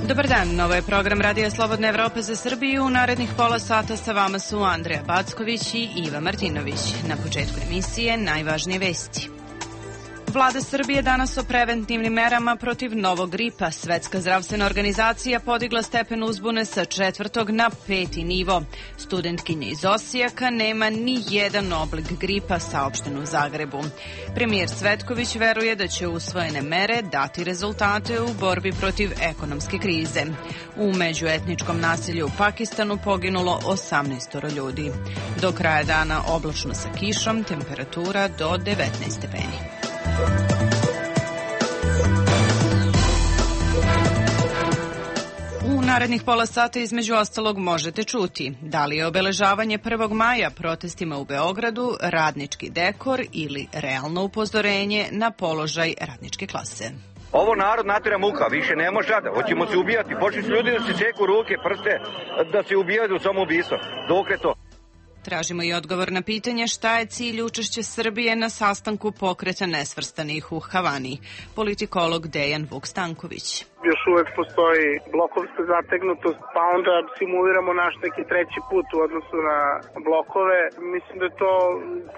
Dobar dan, ovo je program Radija Slobodne Evrope za Srbiju. U narednih pola sata sa vama su Andreja Backović i Iva Martinović. Na početku emisije najvažnije vesti. Vlada Srbije danas o preventivnim merama protiv novog gripa. Svetska zdravstvena organizacija podigla stepen uzbune sa 4. na 5. nivo. Studentkinja iz Osijeka nema ni jedan oblik gripa, saopšteno u Zagrebu. Premijer Cvetković veruje da će usvojene mere dati rezultate u borbi protiv ekonomske krize. U međuetničkom nasilju u Pakistanu poginulo 18 ljudi. Do kraja dana oblačno sa kišom, temperatura do 19 stepeni. U narednih pola sata između ostalog možete čuti da li je obeležavanje 1. maja protestima u Beogradu radnički dekor ili realno upozorenje na položaj radničke klase. Ovo narod natera muka, više ne može sada, hoćemo se ubijati, počeli su ljudi da se seku ruke, prste, da se ubijaju u samoubistvo. Dokle to? Tražimo i odgovor na pitanje šta je cilj učešća Srbije na sastanku Pokreta nesvrstanih u Havani. Politikolog Dejan Vuk-Stanković. Još uvek postoji blokovska zategnutost, pa onda simuliramo naš neki treći put u odnosu na blokove. Mislim da je to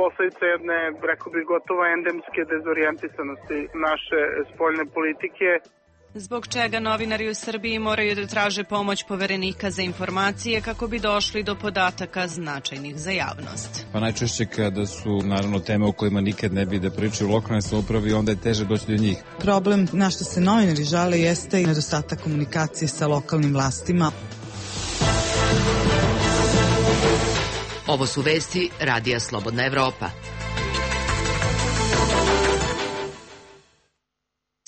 posledica jedne, rekao bih, gotovo endemske dezorijentisanosti naše spoljne politike. Zbog čega novinari u Srbiji moraju da traže pomoć Poverenika za informacije kako bi došli do podataka značajnih za javnost? Pa najčešće kada su naravno teme o kojima nikad ne bi da pričaju u lokalnoj samoupravi, onda je teže doći do njih. Problem na što se novinari žale jeste i nedostatak komunikacije sa lokalnim vlastima. Ovo su vesti Radija Slobodna Evropa.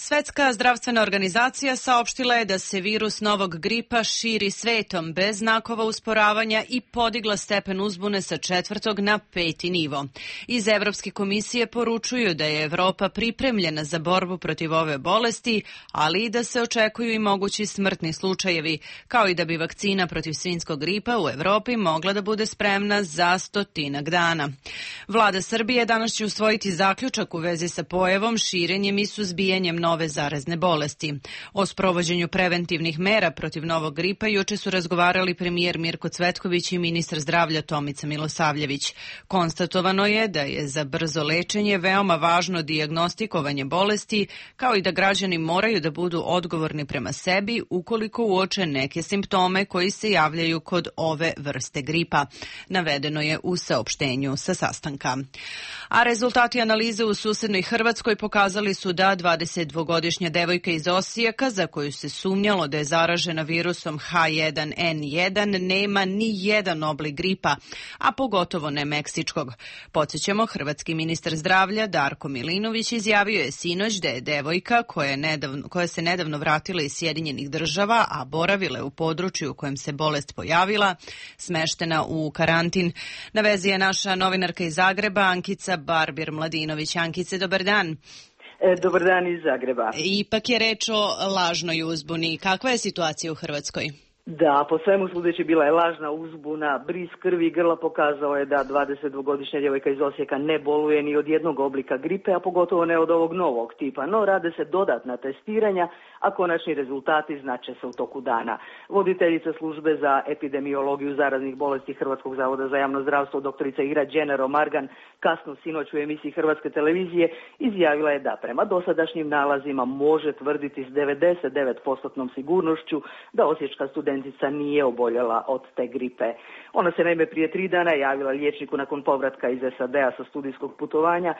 Svetska zdravstvena organizacija saopštila je da se virus novog gripa širi svetom bez znakova usporavanja i podigla stepen uzbune sa 4. na 5. nivo. Iz Evropske komisije poručuju da je Evropa pripremljena za borbu protiv ove bolesti, ali i da se očekuju i mogući smrtni slučajevi, kao i da bi vakcina protiv svinjskog gripa u Evropi mogla da bude spremna za 100 dana. Vlada Srbije danas će usvojiti zaključak u vezi sa pojavom, širenjem i suzbijanjem nove zarazne bolesti. O sprovođenju preventivnih mera protiv novog gripa juče su razgovarali premijer Mirko Cvetković i ministar zdravlja Tomica Milosavljević. Konstatovano je da je za brzo lečenje veoma važno dijagnostikovanje bolesti, kao i da građani moraju da budu odgovorni prema sebi ukoliko uoče neke simptome koji se javljaju kod ove vrste gripa. Navedeno je u saopštenju sa sastanka. A rezultati analize u susednoj Hrvatskoj pokazali su da 22-godišnja devojka iz Osijeka, za koju se sumnjalo da je zaražena virusom H1N1, nema ni jedan oblik gripa, a pogotovo ne meksičkog. Podsjećamo, hrvatski ministar zdravlja Darko Milinović izjavio je sinoć da je devojka koja se nedavno vratila iz Sjedinjenih Država, a boravila je u području u kojem se bolest pojavila, smeštena u karantin. Na vezi je naša novinarka iz Zagreba, Ankica Barbir-Mladinović. Ankice, dobar dan. Dobar dan iz Zagreba. Ipak je reč o lažnoj uzbuni. Kakva je situacija u Hrvatskoj? Da, po svemu sudeći bila je lažna uzbuna, bris krvi i grla pokazao je da 22-godišnja djevojka iz Osijeka ne boluje ni od jednog oblika gripe, a pogotovo ne od ovog novog tipa, no rade se dodatna testiranja, a konačni rezultati znače se u toku dana. Voditeljica službe za epidemiologiju zaraznih bolesti Hrvatskog zavoda za javno zdravstvo, doktorica Ira Đenero-Margan, kasno sinoć u emisiji Hrvatske televizije izjavila je da prema dosadašnjim nalazima može tvrditi s 99% sigurnošću da osječka studentica nije oboljela od te gripe. Ona se naime prije 3 dana javila liječniku nakon povratka iz SAD-a sa studijskog putovanja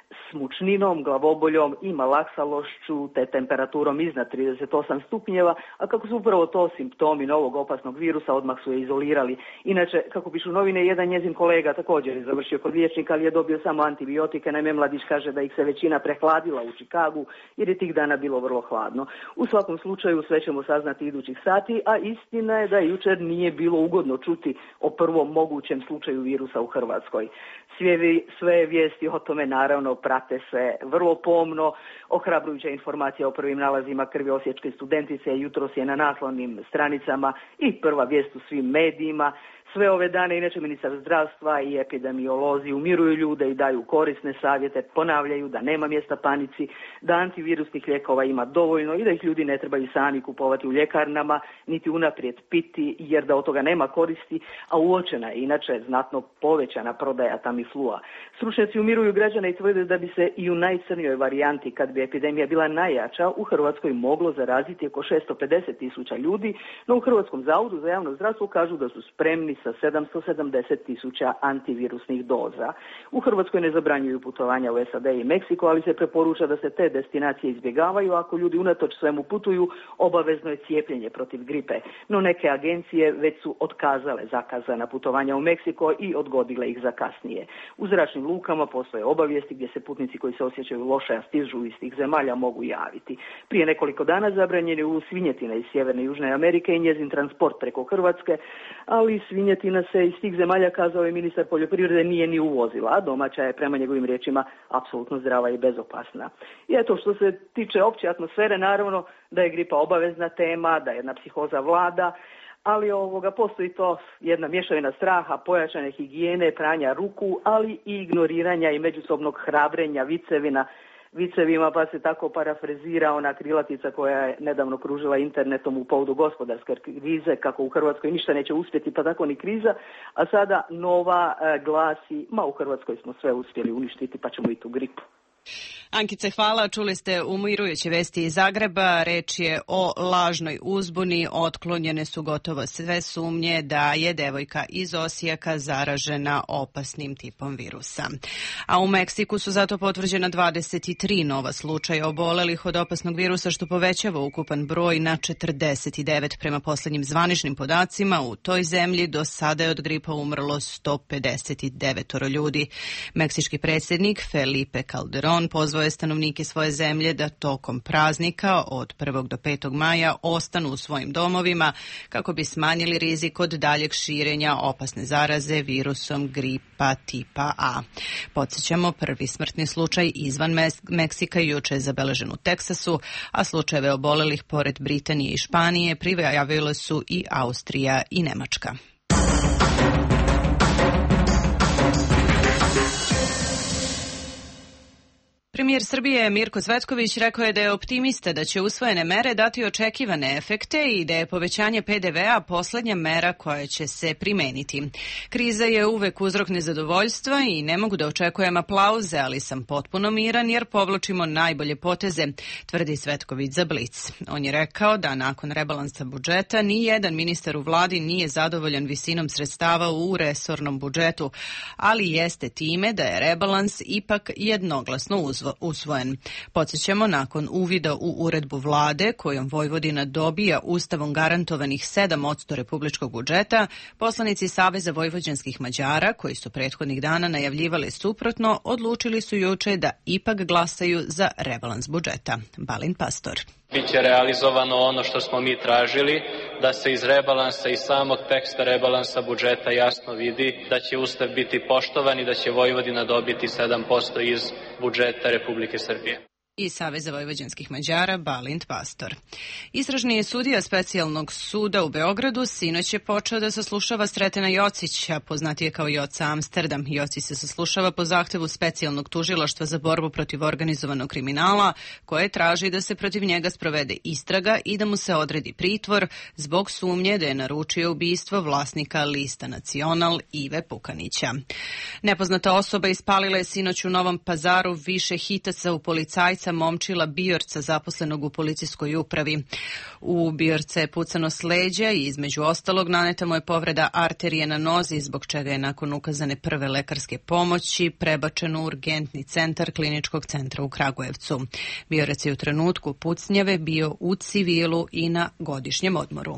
s mučninom, glavoboljom i malaksalošću te temperaturom iznad 38 stupnjeva, a kako su upravo to simptomi novog opasnog virusa, odmah su je izolirali. Inače, kako pišu novine, jedan njezin kolega također je završio kod liječnika, ali je dobio samo antibiotike. Naime, mladić kaže da ih se većina prehladila u Čikagu jer je tih dana bilo vrlo hladno. U svakom slučaju sve ćemo saznati idućih sati, a istina je da jučer nije bilo ugodno čuti o prvom mogućem slučaju virusa u Hrvatskoj. Sve vijesti o tome naravno prate se vrlo pomno. Ohrabrujuća informacija o prvim nalazima krvi osječke studentice jutros je na naslovnim stranicama i prva vijest u svim medijima. Sve ove dane inače ministar zdravstva i epidemiolozi umiruju ljude i daju korisne savjete, ponavljaju da nema mjesta panici, da antivirusnih lijekova ima dovoljno i da ih ljudi ne trebaju sami kupovati u ljekarnama, niti unaprijed piti jer da od toga nema koristi, a uočena je inače znatno povećana prodaja Tamiflua. Stručnjaci umiruju građane i tvrde da bi se i u najcrnjoj varijanti, kad bi epidemija bila najjača, u Hrvatskoj moglo zaraziti oko 650.000 ljudi, no u Hrvatskom zavodu za javno zdravstvo kažu da su spremni sa 770.000 antivirusnih doza. U Hrvatskoj ne zabranjuju putovanja u SAD i Meksiko, ali se preporuča da se te destinacije izbjegavaju. Ako ljudi unatoč svemu putuju, obavezno je cijepljenje protiv gripe. No neke agencije već su otkazale zakazana putovanja u Meksiko i odgodile ih za kasnije. U zračnim lukama postoje obavijesti gdje se putnici koji se osjećaju loše, a stižu iz tih zemalja mogu javiti. Prije nekoliko dana zabranjen je uvoz svinjetine iz Sjeverne i Južne Amerike i njezin transport preko Hrvatske, ali svinjetina se iz tih zemalja, kazao je ministar poljoprivrede, nije ni uvozila, a domaća je prema njegovim riječima apsolutno zdrava i bezopasna. I eto, što se tiče opće atmosfere, naravno da je gripa obavezna tema, da jedna psihoza vlada, ali postoji to jedna mješavina straha, pojačane higijene, pranja ruku, ali i ignoriranja i međusobnog hrabrenja vicevima, pa se tako parafrazira ona krilatica koja je nedavno kružila internetom u povodu gospodarske krize, kako u Hrvatskoj ništa neće uspjeti, pa tako ni kriza, a sada nova glasi, u Hrvatskoj smo sve uspjeli uništiti, pa ćemo i tu gripu. Ankice, hvala. Čuli ste umirujuće vesti iz Zagreba. Reč je o lažnoj uzbuni. Otklonjene su gotovo sve sumnje da je devojka iz Osijeka zaražena opasnim tipom virusa. A u Meksiku su zato potvrđena 23 nova slučaja obolelih od opasnog virusa, što povećava ukupan broj na 49. Prema posljednjim zvaničnim podacima, u toj zemlji do sada je od gripa umrlo 159 ljudi. Meksički predsjednik Felipe Calderón pozvao je stanovnike svoje zemlje da tokom praznika od 1. do 5. maja ostanu u svojim domovima kako bi smanjili rizik od daljeg širenja opasne zaraze virusom gripa tipa A. Podsjećamo, prvi smrtni slučaj izvan Meksika juče je zabeležen u Teksasu, a slučajeve obolelih pored Britanije i Španije prijavile su i Austrija i Nemačka. Premijer Srbije Mirko Cvetković rekao je da je optimista da će usvojene mere dati očekivane efekte i da je povećanje PDV-a posljednja mera koja će se primeniti. Kriza je uvek uzrok nezadovoljstva i ne mogu da očekujem aplauze, ali sam potpuno miran jer povlačimo najbolje poteze, tvrdi Cvetković za Blic. On je rekao da nakon rebalansa budžeta ni jedan ministar u vladi nije zadovoljan visinom sredstava u resornom budžetu, ali jeste time da je rebalans ipak jednoglasno usvojen. Podsjećamo, nakon uvida u uredbu vlade kojom Vojvodina dobija ustavom garantovanih 7% republičkog budžeta, poslanici Saveza vojvođanskih Mađara, koji su prethodnih dana najavljivali suprotno, odlučili su juče da ipak glasaju za rebalans budžeta. Balint Pastor. Biće realizovano ono što smo mi tražili, da se iz rebalansa i samog teksta rebalansa budžeta jasno vidi da će Ustav biti poštovan i da će Vojvodina dobiti 7% iz budžeta Republike Srbije. I Saveza vojvođanskih Mađara Balint Pastor. Istražni sudija specijalnog suda u Beogradu sinoć je počeo da saslušava Sretena Jocića, poznatije kao Joca Amsterdam. Jocić se saslušava po zahtevu specijalnog tužilaštva za borbu protiv organizovanog kriminala, koje traži da se protiv njega sprovede istraga i da mu se odredi pritvor zbog sumnje da je naručio ubistvo vlasnika Lista Nacional Ive Pukanića. Nepoznata osoba ispalila je sinoć u Novom Pazaru više hitaca u policajca Momčila Bijorca, zaposlenog u policijskoj upravi. U Bijorca je pucano s leđa i između ostalog naneta mu je povreda arterije na nozi, zbog čega je nakon ukazane prve lekarske pomoći prebačen u urgentni centar Kliničkog centra u Kragujevcu. Bijorac je u trenutku pucnjave bio u civilu i na godišnjem odmoru.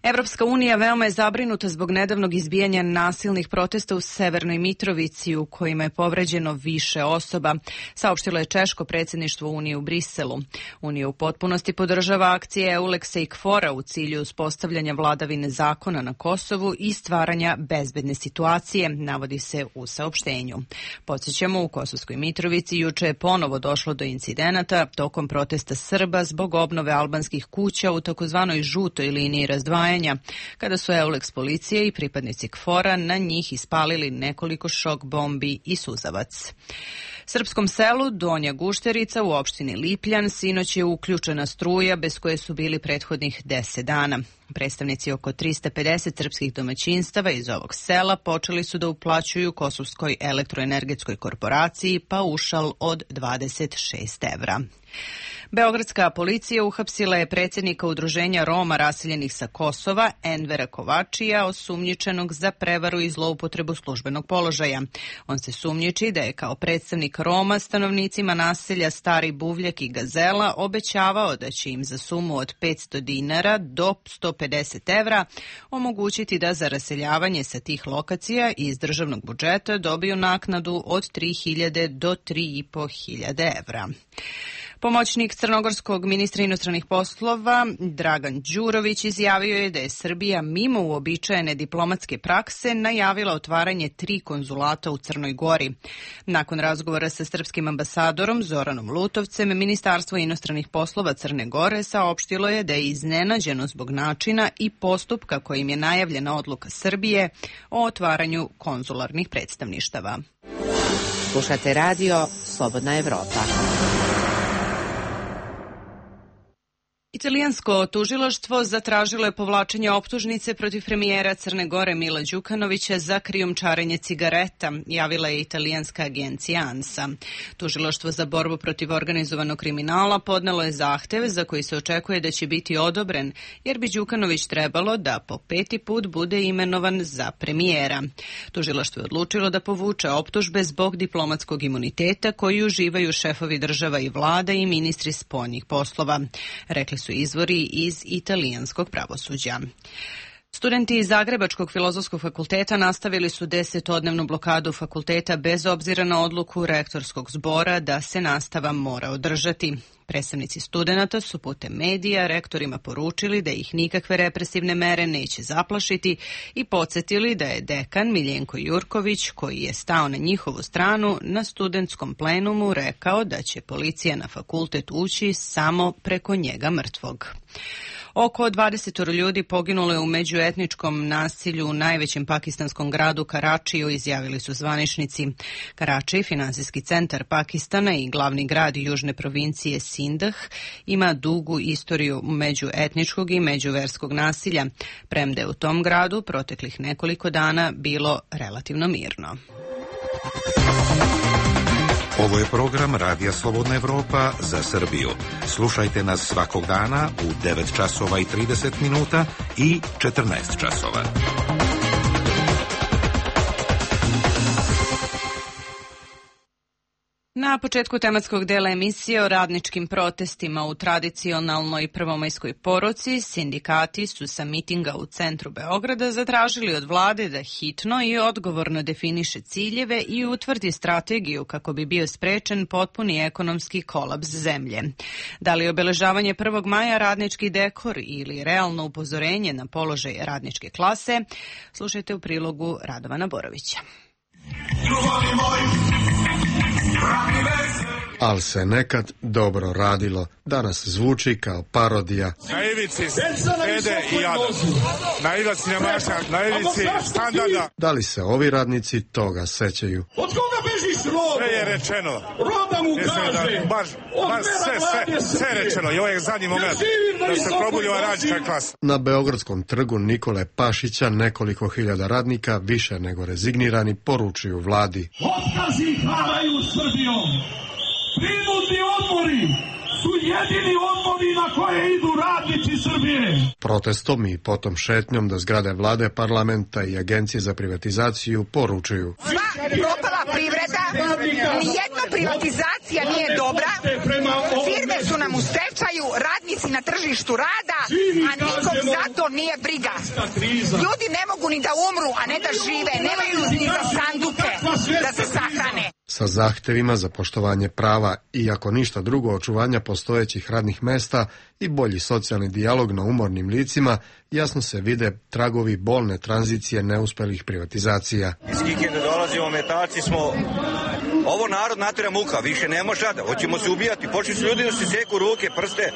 Evropska unija veoma je zabrinuta zbog nedavnog izbijanja nasilnih protesta u Severnoj Mitrovici u kojima je povređeno više osoba, saopštilo je češko predsjedništvo Unije u Briselu. Unija u potpunosti podržava akcije EULEX-a i KFOR-a u cilju uspostavljanja vladavine zakona na Kosovu i stvaranja bezbedne situacije, navodi se u saopštenju. Podsjećamo, u Kosovskoj Mitrovici juče je ponovo došlo do incidenata tokom protesta Srba zbog obnove albanskih kuća u takozvanoj žutoj liniji razdvajanja, kada su EULEX policije i pripadnici KFOR-a na njih ispalili nekoliko šok bombi i suzavac. Srpskom selu Donja Gušterica u opštini Lipljan sinoć je uključena struja bez koje su bili prethodnih 10 dana. Predstavnici oko 350 srpskih domaćinstava iz ovog sela počeli su da uplaćuju Kosovskoj elektroenergetskoj korporaciji paušal od 26 evra. Beogradska policija uhapsila je predsjednika udruženja Roma raseljenih sa Kosova, Envera Kovačija, osumnjičenog za prevaru i zloupotrebu službenog položaja. On se sumnjiči da je kao predstavnik Roma stanovnicima naselja Stari Buvljak i Gazela obećavao da će im za sumu od 500 dinara do 150 evra omogućiti da za raseljavanje sa tih lokacija iz državnog budžeta dobiju naknadu od 3.000 do 3.500 evra. Pomoćnik crnogorskog ministra inostranih poslova Dragan Đurović izjavio je da je Srbija mimo uobičajene diplomatske prakse najavila otvaranje 3 konzulata u Crnoj Gori. Nakon razgovora sa srpskim ambasadorom Zoranom Lutovcem, Ministarstvo inostranih poslova Crne Gore saopštilo je da je iznenađeno zbog načina i postupka kojim je najavljena odluka Srbije o otvaranju konzularnih predstavništava. Slušate radio Slobodna Evropa. Italijansko tužilaštvo zatražilo je povlačenje optužnice protiv premijera Crne Gore Mila Đukanovića za krijumčarenje cigareta, javila je italijanska agencija ANSA. Tužilaštvo za borbu protiv organizovanog kriminala podnelo je zahtev za koji se očekuje da će biti odobren, jer bi Đukanović trebalo da po 5. put bude imenovan za premijera. Tužilaštvo je odlučilo da povuče optužbe zbog diplomatskog imuniteta koji uživaju šefovi država i vlada i ministri spoljnih poslova, rekli su izvori iz italijanskog pravosuđa. Studenti iz Zagrebačkog filozofskog fakulteta nastavili su 10-dnevnu blokadu fakulteta bez obzira na odluku rektorskog zbora da se nastava mora održati. Predstavnici studenata su putem medija rektorima poručili da ih nikakve represivne mere neće zaplašiti i podsjetili da je dekan Miljenko Jurković, koji je stao na njihovu stranu, na studentskom plenumu rekao da će policija na fakultet ući samo preko njega mrtvog. Oko 20 ljudi poginulo je u međuetničkom nasilju u najvećem pakistanskom gradu Karačiju, izjavili su zvaničnici. Karači, finansijski centar Pakistana i glavni grad južne provincije Sindah, ima dugu istoriju međuetničkog i međuverskog nasilja, premda je u tom gradu proteklih nekoliko dana bilo relativno mirno. Ovo je program Radija Slobodna Evropa za Srbiju. Slušajte nas svakog dana u 9 časova i 30 minuta i 14 časova. Na početku tematskog dela emisije o radničkim protestima u tradicionalnoj prvomajskoj poruci, sindikati su sa mitinga u centru Beograda zatražili od vlade da hitno i odgovorno definiše ciljeve i utvrdi strategiju kako bi bio sprečen potpuni ekonomski kolaps zemlje. Da li obeležavanje 1. maja radnički dekor ili realno upozorenje na položaj radničke klase? Slušajte u prilogu Radovana Borovića. Al se nekad dobro radilo. Danas zvuči kao parodija. Na ivici sede i jadan. Na ivici nemaša, na ivici standarda. Da li se ovi radnici toga sećaju? Od koga bežiš robe? Sve je rečeno. Roba mu kaže. Baš sve rečeno. I ovo je zadnji moment da se probudila radnička klasa. Na Beogradskom trgu Nikole Pašića nekoliko hiljada radnika, više nego rezignirani, poručuju vladi. Otkazi haraju Srbijom. Prinudni odmori su jedini odmori na koje idu radnici Srbije. Protestom i potom šetnjom do zgrade vlade, parlamenta i agencije za privatizaciju poručuju. Sva propala privreda, nijedna privatizacija nije dobra, firme su nam u stečaju, radnici na tržištu rada, a nikom za to nije briga. Ljudi ne mogu ni da umru, a ne da žive, nemaju ni za sanduke da se sahrane. Sa zahtevima za poštovanje prava i ako ništa drugo očuvanja postojećih radnih mesta i bolji socijalni dijalog na umornim licima, jasno se vide tragovi bolne tranzicije neuspelih privatizacija. Iz Kikinde dolazimo, metalci smo. Ovo narod natera muka, više ne može da. Hoćemo se ubijati. Počeli su ljudi da se seku ruke, prste,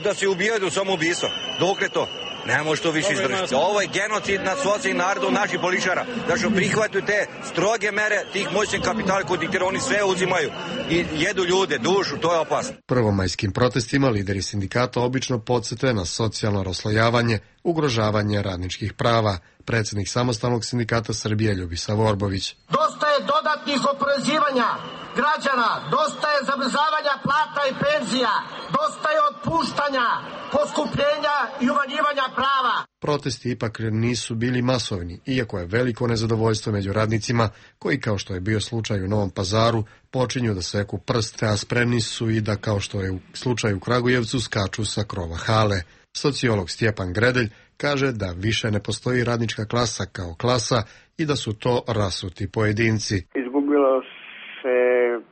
da se ubijaju u samoubistvo. Dokle to? Ne može to više izdržati. Ovo je genocid nad socijalnim narodom naših političara. Da što prihvataju te stroge mere tih moćnih kapitala koji oni sve uzimaju i jedu ljude, dušu, to je opasno. Prvomajskim protestima lideri sindikata obično podsete na socijalno raslojavanje, ugrožavanje radničkih prava. Predsjednik Samostalnog sindikata Srbije Ljubisa Vorbović. Dosta je dodatnih oporezivanja građana, dosta je zamrzavanja plata i penzija, dosta je otpuštanja, poskupljenja i umanjivanja prava. Protesti ipak nisu bili masovni, iako je veliko nezadovoljstvo među radnicima, koji, kao što je bio slučaj u Novom Pazaru, počinju da seku prste, a spremni su i da, kao što je u slučaju u Kragujevcu, skaču sa krova hale. Sociolog Stjepan Gredelj kaže da više ne postoji radnička klasa kao klasa i da su to rasuti pojedinci. Izgubilo se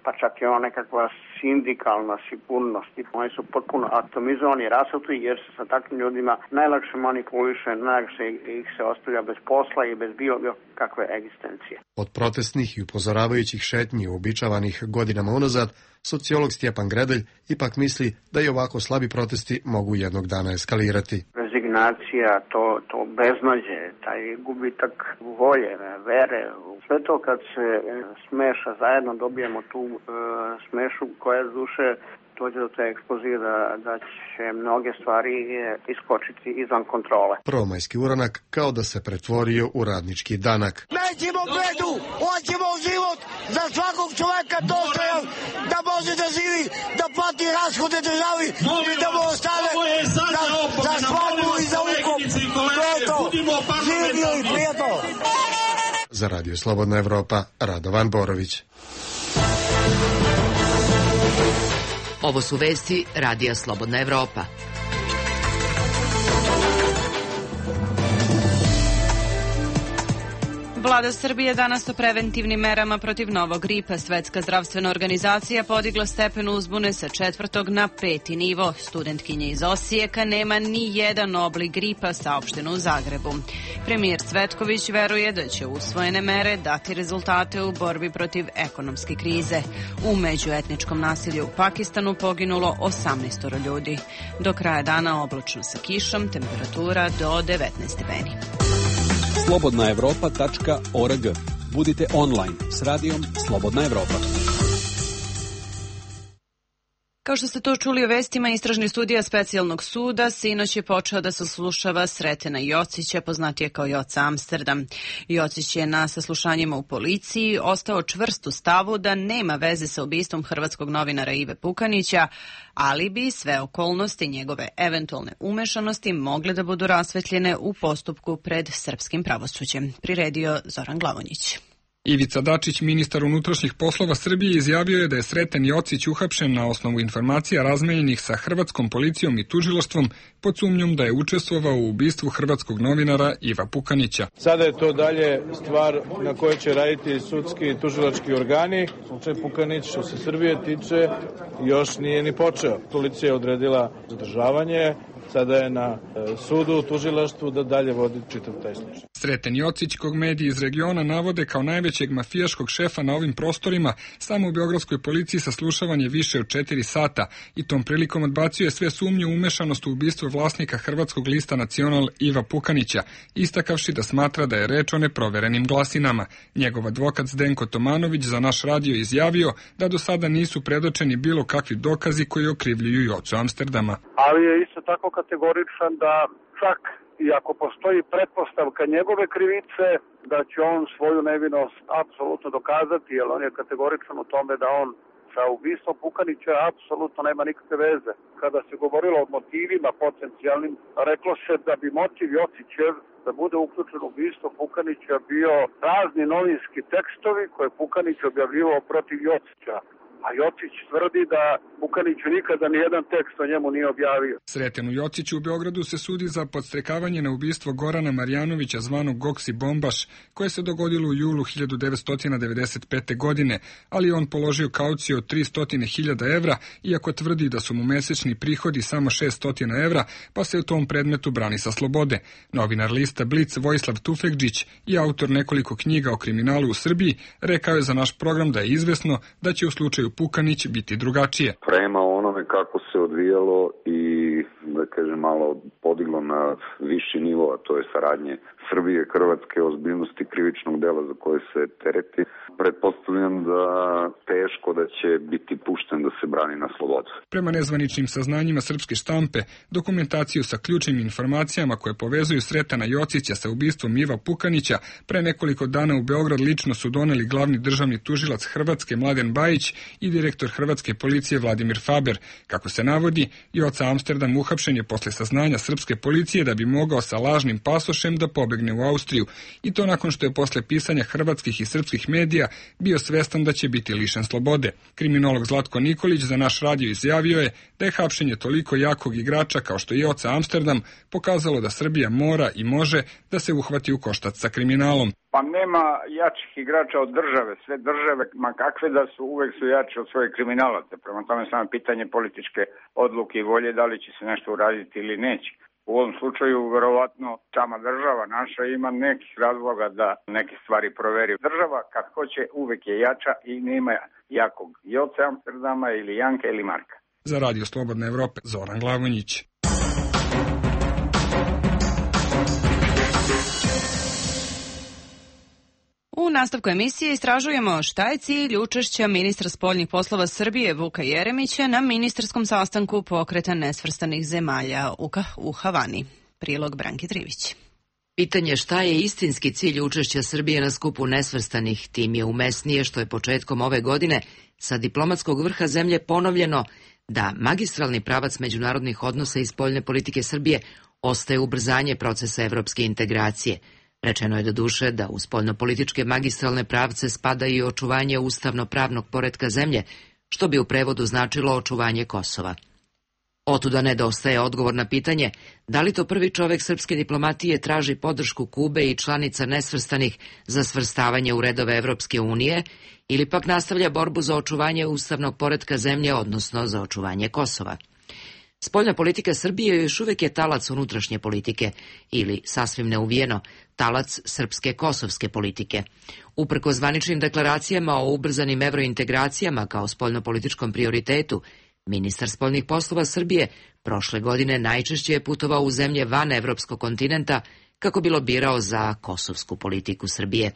pa čak i ona nekakva sindikalna sigurnost. Oni su potpuno atomizovani, rasuti, jer se sa takvim ljudima najlakše manipuliše, najlakše ih se ostavlja bez posla i bez bilo kakve egzistencije. Od protestnih i upozoravajućih šetnji uobičavanih godinama unazad, sociolog Stjepan Gredelj ipak misli da i ovako slabi protesti mogu jednog dana eskalirati. Rezignacija, to beznađe, taj gubitak volje, vere, sve to kad se smeša zajedno, dobijemo tu smešu koja z duše dođe do te eksplozije da će mnoge stvari iskočiti izvan kontrole. Prvomajski uranak kao da se pretvorio u radnički danak. Nećemo bedu, hoćemo život za svakog čoveka dostojan, da može da živi, da plati rashode državi i da mu ostane za svadbu i za ukop. To je to. Živio i prijetno. Za Radio Slobodna Evropa, Radovan Borović. Ovo su vesti Radija Slobodna Evropa. Vlada Srbije danas o preventivnim merama protiv novog gripa. Svetska zdravstvena organizacija podigla stepen uzbune sa 4. na 5. nivo. Studentkinja iz Osijeka nema ni jedan oblik gripa, saopšteno u Zagrebu. Premijer Cvetković veruje da će usvojene mere dati rezultate u borbi protiv ekonomske krize. U međuetničkom nasilju u Pakistanu poginulo 18 ljudi. Do kraja dana oblačno sa kišom, temperatura do 19 stepeni. slobodnaevropa.org. Budite online s radijom Slobodna Evropa. Kao što ste to čuli u vestima, istražni sudija specijalnog suda sinoć je počeo da saslušava Sretena Jocića, poznatije kao Joca Amsterdam. Jocić je na saslušanjima u policiji ostao čvrst u stavu da nema veze sa ubistvom hrvatskog novinara Ive Pukanića, ali bi sve okolnosti njegove eventualne umešanosti mogle da budu rasvetljene u postupku pred srpskim pravosuđem. Priredio Zoran Glavonjić. Ivica Dačić, ministar unutrašnjih poslova Srbije, izjavio je da je Sreten Jocić uhapšen na osnovu informacija razmenjenih sa hrvatskom policijom i tužilaštvom pod sumnjom da je učestvovao u ubistvu hrvatskog novinara Iva Pukanića. Sada je to dalje stvar na kojoj će raditi sudski i tužilački organi. Slučaj Pukanić, što se Srbije tiče, još nije ni počeo. Policija je odredila zadržavanje. Sada je na sudu u tužilaštvu da dalje vodi čitav taj slučaj. Sreten Jocić, kog mediji iz regiona navode kao najvećeg mafijaškog šefa na ovim prostorima, samo u beogradskoj policiji saslušavanje više od 4 sata i tom prilikom odbacio je sve sumnje u umešanost u ubistvo vlasnika hrvatskog lista Nacional Iva Pukanića, istakavši da smatra da je reč o neproverenim glasinama. Njegov advokat Zdenko Tomanović za naš radio izjavio da do sada nisu predočeni bilo kakvi dokazi koji okrivljuju Jocu Amsterdama. Ali je isto tako kategoričan da čak i ako postoji pretpostavka njegove krivice, da će on svoju nevinost apsolutno dokazati, jer on je kategoričan u tome da on sa ubistvom Pukanića apsolutno nema nikakve veze. Kada se govorilo o motivima potencijalnim, reklo se da bi motiv Jocićev da bude uključen u ubistvo Pukanića bio razni novinski tekstovi koje Pukanić objavljivao protiv Jocića. a Jocić tvrdi da Vukaniću nikada nijedan tekst o njemu nije objavio. Sretenu Jociću u Beogradu se sudi za podstrekavanje na ubistvo Gorana Marjanovića zvanog Goksi Bombaš, koje se dogodilo u julu 1995. godine, ali on položio kauciju od 300.000 evra, iako tvrdi da su mu mesečni prihodi samo 600 evra, pa se u tom predmetu brani sa slobode. Novinar lista Blic Vojislav Tufekđić i autor nekoliko knjiga o kriminalu u Srbiji rekao je za naš program da je izvesno da će u slučaju Pukanić biti drugačije. Prema onome kako se odvijalo i da kažem malo podiglo na viši nivo, a to je saradnje Srbije, Hrvatske, ozbiljnosti krivičnog dela za koje se tereti, pretpostavljam da teško da će biti pušten da se brani na slobodu. Prema nezvaničnim saznanjima srpske štampe, dokumentaciju sa ključnim informacijama koje povezuju Sretana Jocića sa ubistvom Iva Pukanića, pre nekoliko dana u Beograd lično su doneli glavni državni tužilac Hrvatske Mladen Bajić i direktor hrvatske policije Vladimir Faber. Kako se navodi, Joca Amsterdam uhapšen je posle saznanja srpske policije da bi mogao sa lažnim pasošem da pobegne u Austriju, i to nakon što je posle pisanja hrvatskih i srpskih medija bio svestan da će biti lišen slobode. Kriminolog Zlatko Nikolić za naš radio izjavio je da je hapšenje toliko jakog igrača kao što je Joca Amsterdam pokazalo da Srbija mora i može da se uhvati u koštac sa kriminalom. Pa nema jačih igrača od države. Sve države, ma kakve da su, uvek su jači od svojih kriminalaca. Prema tome samo pitanje političke odluke i volje da li će se nešto uraditi ili neće. U ovom slučaju, verovatno, sama država naša ima nekih razloga da neke stvari proveri. Država, kad hoće, uvek je jača i nema jakog Joce Amsterdama ili Janka ili Marka. Za Radio Slobodne Evrope, Zoran Glavonjić. U nastavku emisije istražujemo šta je cilj učešća ministra spoljnih poslova Srbije Vuka Jeremića na ministarskom sastanku Pokreta nesvrstanih zemalja u Havani. Prilog Branke Trivić. Pitanje šta je istinski cilj učešća Srbije na skupu nesvrstanih, tim je umesnije što je početkom ove godine sa diplomatskog vrha zemlje ponovljeno da magistralni pravac međunarodnih odnosa i spoljne politike Srbije ostaje ubrzanje procesa evropske integracije. Rečeno je doduše da u spoljnopolitičke magistralne pravce spada i očuvanje ustavno-pravnog poretka zemlje, što bi u prevodu značilo očuvanje Kosova. Otuda nedostaje odgovor na pitanje da li to prvi čovek srpske diplomatije traži podršku Kube i članica nesvrstanih za svrstavanje u redove Evropske unije ili pak nastavlja borbu za očuvanje ustavnog poretka zemlje, odnosno za očuvanje Kosova. Spoljna politika Srbije još uvek je talac unutrašnje politike ili, sasvim neuvijeno, talac srpske kosovske politike. Uprkos zvaničnim deklaracijama o ubrzanim evrointegracijama kao spoljnopolitičkom prioritetu, ministar spoljnih poslova Srbije prošle godine najčešće je putovao u zemlje van evropskog kontinenta kako bi lobirao za kosovsku politiku Srbije.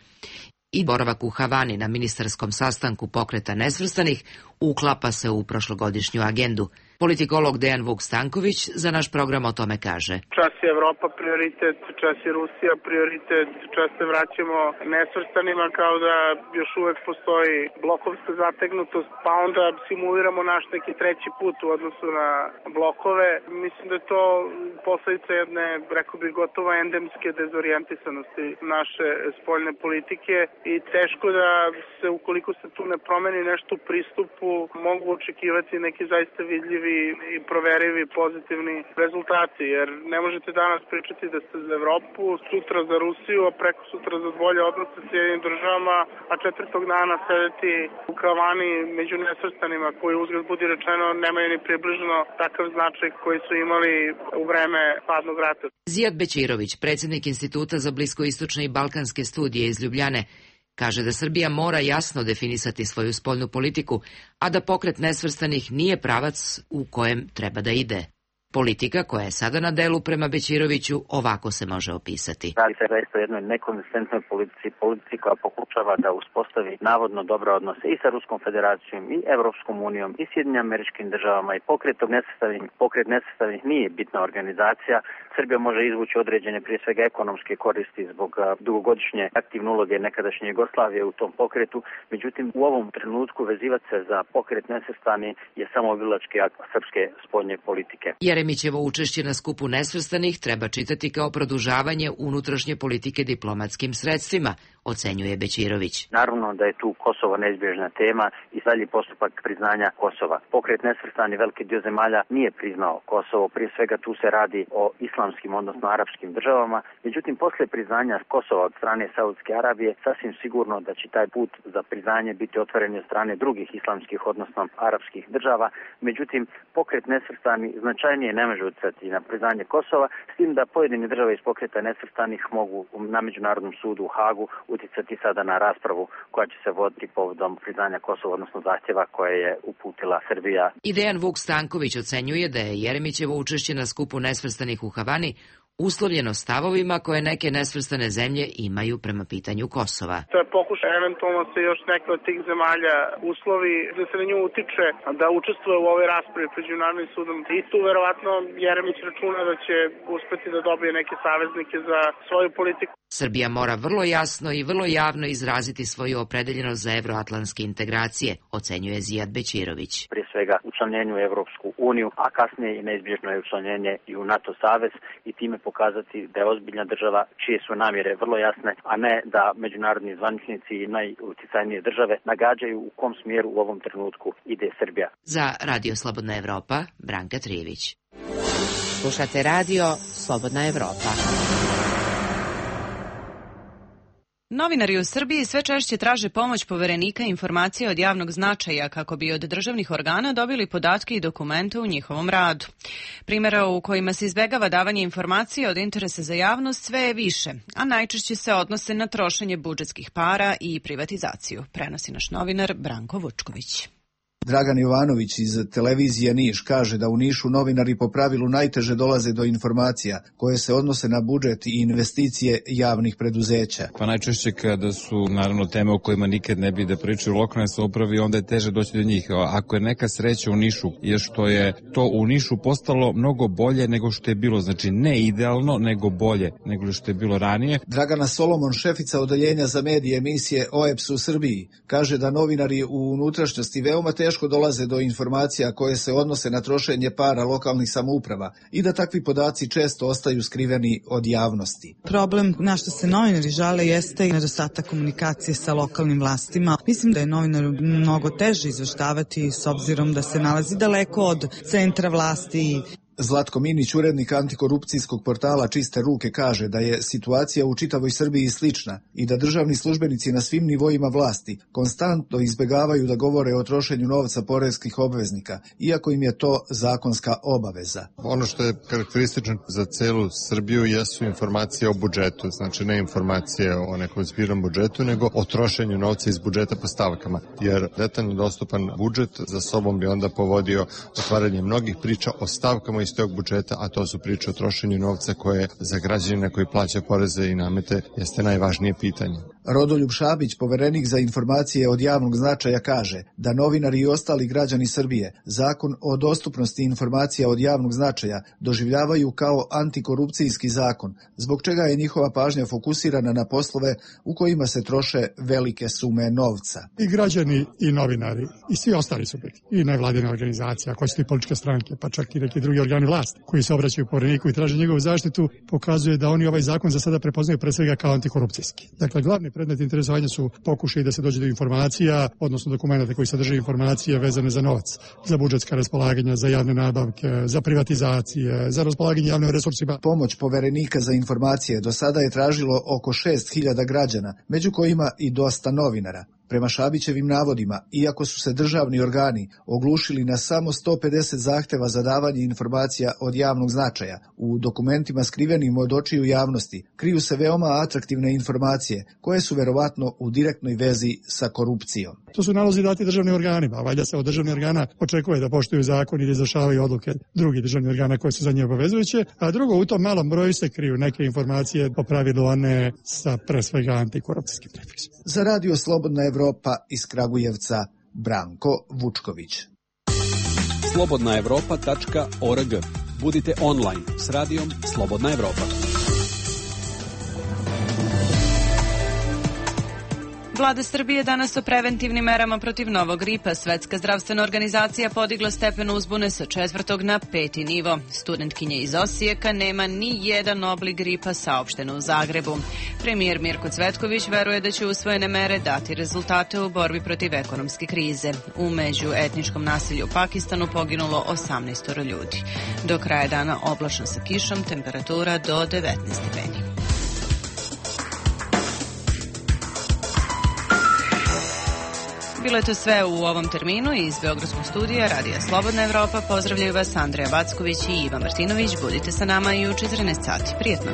I boravak u Havani na ministarskom sastanku Pokreta nesvrstanih uklapa se u prošlogodišnju agendu. Politikolog Dejan Vuk Stanković za naš program o tome kaže. Čas je Evropa prioritet, čas je Rusija prioritet, čas se vraćamo nesvrstanima kao da još uvek postoji blokovska zategnutost, pa onda simuliramo naš neki treći put u odnosu na blokove. Mislim da je to posledica jedne, rekao bih, gotovo endemske dezorijentisanosti naše spoljne politike i teško da se, ukoliko se tu ne promeni nešto u pristupu, mogu očekivati neki zaista vidljivi i proverivi pozitivni rezultati, jer ne možete danas pričati da ste za Evropu, sutra za Rusiju, a preko sutra za bolje odnose s Sjedinim državama, a četvrtog dana sedeti u Havani među nesvrstanima koji, uzgled budi rečeno, nemaju ni približno takav značaj koji su imali u vreme hladnog rata. Zijad Bećirović, predsjednik Instituta za bliskoistočne i balkanske studije iz Ljubljane, kaže da Srbija mora jasno definisati svoju spoljnu politiku, a da Pokret nesvrstanih nije pravac u kojem treba da ide. Politika koja je sada na delu prema Bećiroviću ovako se može opisati. Radi se zaista o jednoj nekonzistentnoj politici koja pokušava da uspostavi navodno dobre odnose i sa Ruskom federacijom i Evropskom unijom i Sjedinjenim Američkim državama i Pokret nesvrstanih nije bitna organizacija. Srbija može izvući određene, prije svega ekonomske koristi zbog dugogodišnje aktivne uloge nekadašnje Jugoslavije u tom pokretu. Međutim, u ovom trenutku vezivati se za Pokret nesvrstanih je samo obilački akt srpske spoljne politike. Jeremićevo učešće na skupu nesvrstanih treba čitati kao produžavanje unutrašnje politike diplomatskim sredstvima, ocenjuje Bećirović. Naravno da je tu Kosovo neizbježna tema i dalji postupak priznanja Kosova. Pokret nesvrstani veliki dio zemalja nije priznao Kosovo, prije svega tu se radi o islamskim, odnosno arapskim državama. Međutim, poslije priznanja Kosova od strane Saudijske Arabije, sasvim sigurno da će taj put za priznanje biti otvoren od strane drugih islamskih, odnosno arapskih država. Međutim, pokret nesvrstani značajnije ne može utjecati na priznanje Kosova, s tim da pojedine države iz pokreta nesvrstanih mogu na Međunarodnom sudu u Hagu utjecati sada na raspravu koja će se voditi povodom priznanja Kosova, odnosno zahtjeva koje je uputila Srbija. I Dejan Vuk Stanković ocenjuje da je Jeremićevo učešće na skupu nesvrstanih u Havani uslovljeno stavovima koje neke nesvrstane zemlje imaju prema pitanju Kosova. To je pokušaj eventualno se još neke od tih zemalja uslovi da se na nju utiče da učestvuje u ovoj raspravi pred Međunarodnim sudom. I tu verovatno Jeremić računa da će uspeti da dobije neke saveznike za svoju politiku. Srbija mora vrlo jasno i vrlo javno izraziti svoju opredeljenost za evroatlantske integracije, ocenjuje Zijad Bećirović. Prije svega učlanjenju u Evropsku uniju, a kasnije i neizbježno je učlanjenje i u NATO savez i time pokazati da je ozbiljna država čije su namjere vrlo jasne, a ne da međunarodni zvaničnici i najuticajnije države nagađaju u kom smjeru u ovom trenutku ide Srbija. Za Radio Slobodna Evropa, Branka Trijević. Slušate Radio Slobodna Evropa. Novinari u Srbiji sve češće traže pomoć poverenika informacija od javnog značaja kako bi od državnih organa dobili podatke i dokumente u njihovom radu. Primjera u kojima se izbegava davanje informacija od interesa za javnost sve je više, a najčešće se odnose na trošenje budžetskih para i privatizaciju, prenosi naš novinar Branko Vučković. Dragan Jovanović iz televizije Niš kaže da u Nišu novinari po pravilu najteže dolaze do informacija koje se odnose na budžet i investicije javnih preduzeća. Pa najčešće kada su naravno teme o kojima nikad ne bi da pričaju lokalne samouprave, onda je teže doći do njih. Ako je neka sreća u Nišu je što je to u Nišu postalo mnogo bolje nego što je bilo, znači ne idealno, nego bolje nego što je bilo ranije. Dragana Solomon, šefica odeljenja za medije emisije OEPS u Srbiji, kaže da novinari u unutrašnjosti veoma teško dolaze do informacija koje se odnose na trošenje para lokalnih samouprava i da takvi podaci često ostaju skriveni od javnosti. Problem na što se novinari žale jeste i nedostatak komunikacije sa lokalnim vlastima. Mislim da je novinaru mnogo teže izveštavati s obzirom da se nalazi daleko od centra vlasti. Zlatko Minić, urednik antikorupcijskog portala Čiste ruke, kaže da je situacija u čitavoj Srbiji slična i da državni službenici na svim nivoima vlasti konstantno izbegavaju da govore o trošenju novca poreskih obveznika, iako im je to zakonska obaveza. Ono što je karakteristično za celu Srbiju jesu informacije o budžetu, znači ne informacije o nekom zbirnom budžetu, nego o trošenju novca iz budžeta po stavkama, jer detaljno dostupan budžet za sobom bi onda povodio otvaranje mnogih priča o stavkama iz tog budžeta, a to su priče o trošenju novca koje za građanina koji plaća poreze i namete jeste najvažnije pitanje. Rodoljub Šabić, poverenik za informacije od javnog značaja, kaže da novinari i ostali građani Srbije zakon o dostupnosti informacija od javnog značaja doživljavaju kao antikorupcijski zakon, zbog čega je njihova pažnja fokusirana na poslove u kojima se troše velike sume novca. I građani i novinari i svi ostali subjekti i nevladine organizacije, ako su i političke stranke, pa čak i neki drugi organi vlasti koji se obraćaju povereniku i traže njegovu zaštitu, pokazuje da oni ovaj zakon za sada prepoznaju pre svega kao antikorupcijski. Dakle, glavni predmet interesovanja su pokušaj da se dođe do informacija, odnosno dokumenta koji sadrže informacije vezane za novac, za budžetska raspolaganja, za javne nabavke, za privatizacije, za raspolaganje javnim resursima. Pomoć poverenika za informacije do sada je tražilo oko 6.000 građana, među kojima i dosta novinara. Prema Šabićevim navodima, iako su se državni organi oglušili na samo 150 zahteva za davanje informacija od javnog značaja, u dokumentima skrivenim od očiju javnosti kriju se veoma atraktivne informacije koje su verovatno u direktnoj vezi sa korupcijom. To su nalozi dati državnim organima, a valjda se od državnih organa očekuje da poštuju zakon i da izvršavaju odluke drugih državnih organa koje su za njih obavezujuće, a drugo, u tom malom broju se kriju neke informacije, po pravilu one sa pre svega antikorupcijskim prefiksom. Za Radio Slobodna Evropa iz Kragujevca, Branko Vučković. slobodnaevropa.org. Budite online s radijom Slobodna Evropa. Vlada Srbije danas o preventivnim merama protiv novog gripa. Svetska zdravstvena organizacija podigla stepen uzbune sa 4. na 5. nivo. Studentkinja iz Osijeka nema ni jedan oblik gripa, saopšteno u Zagrebu. Premijer Mirko Cvetković veruje da će usvojene mere dati rezultate u borbi protiv ekonomske krize. U međuetničkom nasilju u Pakistanu poginulo 18 ljudi. Do kraja dana oblačno sa kišom, temperatura do 19 stepeni. Bilo je to sve u ovom terminu iz Beogradskog studija Radija Slobodna Evropa. Pozdravljaju vas Andreja Backović i Iva Martinović. Budite sa nama i u 14 sati. Prijetno!